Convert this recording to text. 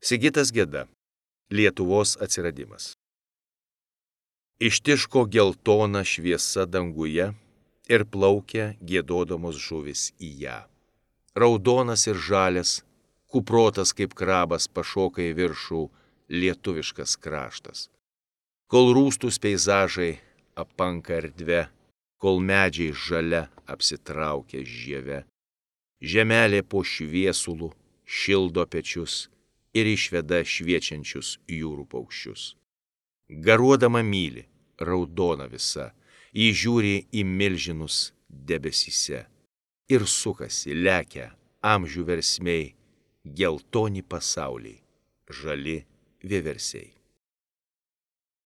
Sigitas Geda. Lietuvos atsiradimas. Ištiško geltona šviesa danguje ir plaukia giedodamos žuvis į ją. Raudonas ir žalias, kuprotas kaip krabas pašoka į viršų lietuviškas kraštas. Kol rūstus peizažai apanka erdve, kol medžiai žalia apsitraukia žieve, žemelė po šviesulų šildo pečius ir išveda šviečiančius jūrų paukščius. Garuodama myli, raudona visa, ji žiūri į milžinus debesyse ir sukasi, lekia amžių versmei, geltoni pasauliai, žali vieversiai.